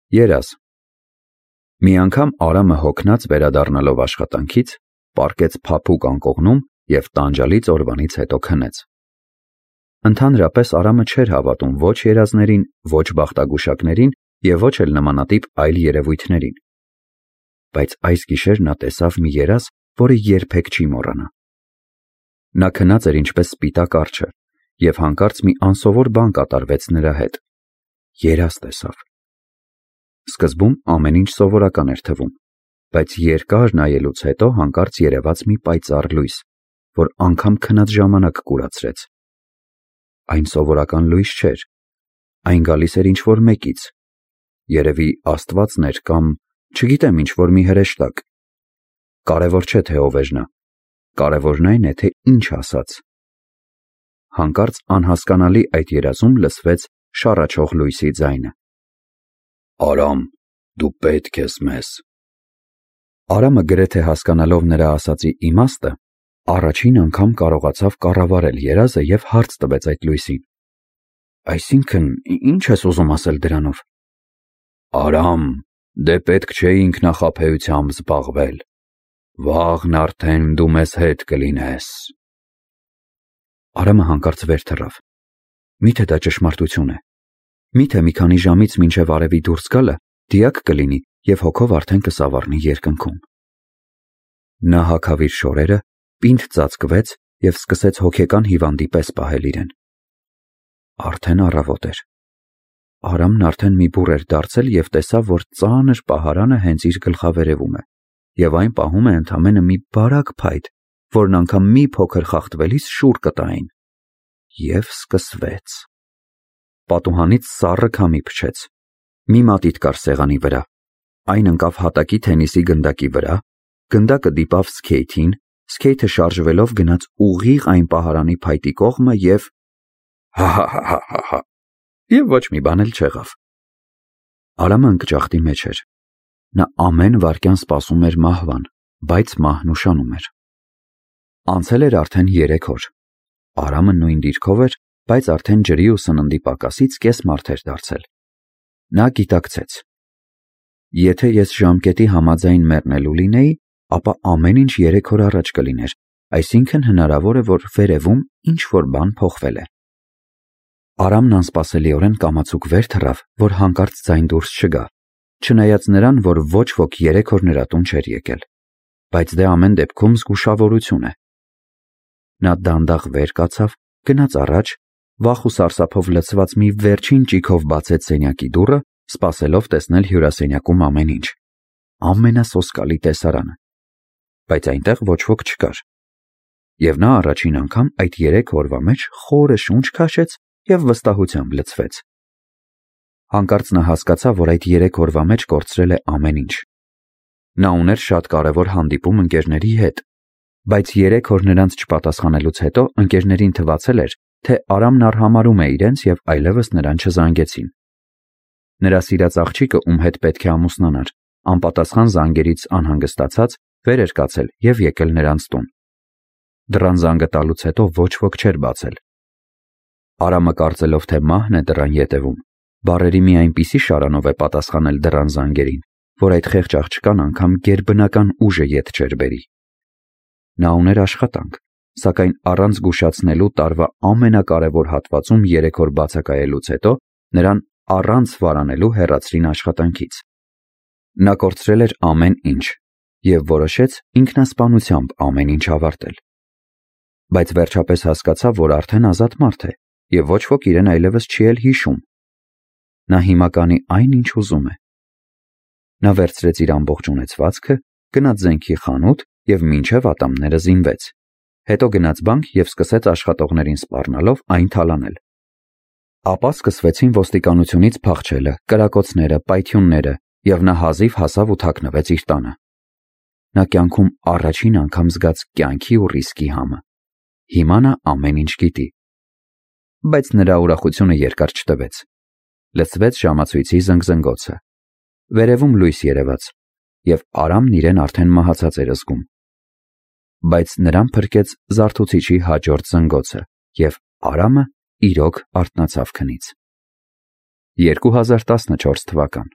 Երազ։ Մի անգամ Արամը հոգնած վերադառնալով աշխատանքից, պառկեց փափուկ անկողնում և տանջալից օրվանից հետո քնեց։ Ընդհանրապես Արամը չէր հավատում ոչ երազներին, ոչ բախտագուշակներին և ոչ էլ նմանատիպ այլ երևույթներին։ Բայց այս գիշեր նա տեսավ մի երազ, որը երբեք չի մոռանա։ Նա քնած էր ինչպես սպիտակ արջը, և հանկարծ մի անսովոր բան կատարվեց նրա հետ։ Երազ տեսավ։ Սկզբում ամեն ինչ սովորական էր թվում, բայց երկար նայելուց հետո հանկարծ երևաց մի պայծառ լույս, որ անգամ քնած ժամանակ կուրացրեց։ Այն սովորական լույս չէր, այն գալիս էր ինչ-որ մեկից, երևի Աստվածն էր կամ, չգիտեմ, ինչ-որ մի հրեշտակ։ Կարևոր չէ, թե ով էր նա, կարևորն այն է, թե ինչ ասաց։ Հանկարծ անհասկանալի այդ երազում լսվեց շառաչող լույսի ձայնը. «Արամ, դու պետք ես մեզ»։ Արամը գրեթե հասկանալով նրա ասածի իմաստը, առաջին անգամ կարողացավ կառավարել երազը և հարց տվեց այդ լույսին. «Այսինքն, ի՞նչ ես ուզում ասել դրանով»։ «Արամ, դե պետք չէ ինքնախաբեությամբ զբաղվել։ Վաղն արդեն դու մեզ հետ կլինես»։ Արամը հանկարծ վեր թռավ։ Միթե դա ճշմարտություն է։ Միթե մի քանի ժամից մինչև արևի դուրս գալը դիակ կլինի և հոգով արդեն կսավառնի երկնքում։ Նա հագավ իր շորերը, պինդ ծածկվեց և սկսեց հոգեկան հիվանդի պես պահել իրեն։ Արդեն առավոտ էր։ Արամն արդեն մի բուռ էր դարձել և տեսավ, որ ծանր պահարանը հենց իր գլխավերևում է, և այն պահում է ընդամենը մի բարակ փայտ, որն անգամ մի փոքր խախտվելիս շուռ կտային։ Եվ սկսվեց։ Պատուհանից սառը քամի փչեց։ Մի մատիտ կար սեղանի վրա, այն ընկավ հատակի թենիսի գնդակի վրա, գնդակը դիպավ սքեյթին, սքեյթը շարժվելով գնաց ուղիղ այն պահարանի փայտի կողմը և… հա… Եվ ոչ մի բան էլ չեղավ։ Արամը ընկճախտի մեջ էր։ Նա ամեն վայրկյան սպասում էր մահվան, բայց մահն ուշանում էր։ Անցել էր արդեն 3 օր։ Արամը նույն դիրքով էր, բայց արդեն ջրի ու սննդի պակասից կես մարդ էր դարձել։ Նա գիտակցեց. եթե ես ժամկետի համաձայն մեռնելու լինեի, ապա ամեն ինչ 3 օր առաջ կլիներ, այսինքն հնարավոր է, որ վերևում ինչ-որ բան փոխվել է։ Արամն անսպասելիորեն կամացուկ վեր թռավ, որ հանկարծ ձայն դուրս չգա, չնայած նրան, որ ոչ ոք 3 օր նրա տուն չէր եկել, բայց դե ամեն դեպքում զգուշավորություն է։ Նա դանդաղ վեր կացավ, գնաց առաջ, վախ ու սարսափով լցված մի վերջին ճիգով բացեց սենյակի դուռը, սպասելով տեսնել հյուրասենյակում ամեն ինչ, ամենասոսկալի տեսարանը, բայց այնտեղ ոչ ոք չկար։ Եվ նա առաջին անգամ այդ 3 օրվա մեջ խորը շունչ քաշեց և վստահությամբ լցվեց։ Հանկարծ նա հասկացավ, որ այդ 3 օրվա մեջ կորցրել է ամեն ինչ։ Նա ուներ շատ կարևոր հանդիպում ընկերների հետ, բայց 3 օր նրանց չպատասխանելուց հետո ընկերներին թվացել էր, թե Արամն արհամարհում է իրենց և այլևս նրան չզանգեցին։ Նրա սիրած աղջիկը, ում հետ պետք է ամուսնանար, անպատասխան զանգերից անհանգստացած վեր էր կացել և եկել նրանց տուն։ Դռան զանգը տալուց հետո ոչ ոք չէր բացել։ Արամը կարծելով, թե մահն է դռան ետևում, բառերի մի այնպիսի շարանով է պատասխանել դռան զանգերին, որ այդ խեղճ աղջկան անգամ գերբնական ուժը ետ չէր բերի։ Նա ուներ աշխատանք, սակայն առանց զգուշացնելու տարվա ամենակարևոր հատվածում 3 օր բացակայելուց հետո նրան առանց վարանելու հեռացրին աշխատանքից։ Նա կորցրել էր ամեն ինչ և որոշեց ինքնասպանությամբ ամեն ինչ ավարտել։ Բայց վերջապես հասկացավ, որ արդեն ազատ մարդ է և ոչ ոք իրեն այլևս չի էլ հիշում։ Նա հիմա կանի այն, ինչ ուզում է։ Նա վերցրեց իր ամբողջ ունեցվածքը, գնաց զենքի խանութ և մինչև ատամները զինվեց։ Հետո գնաց բանկ և սկսեց աշխատողներին սպառնալով այն թալանել։ Ապա սկսվեցին ոստիկանությունից փախչելը, կրակոցները, պայթյունները, և նա հազիվ հասավ ու թաքնվեց իր տանը։ Նա կյանքում առաջին անգամ զգաց կյանքի ու ռիսկի համը։ Հիմա նա ամեն ինչ գիտի։ Բայց նրա ուրախությունը երկար չտևեց։ Լսվեց ժամացույցի զնգզնգոցը։ Վերևում լույս երևաց, և Արամն իրեն արդեն մահացած էր զգում։ Բայց նրան փրկեց զարթուցիչի հաջորդ զնգոցը, և Արամը իրոք արթնացավ քնից։ 2014 թվական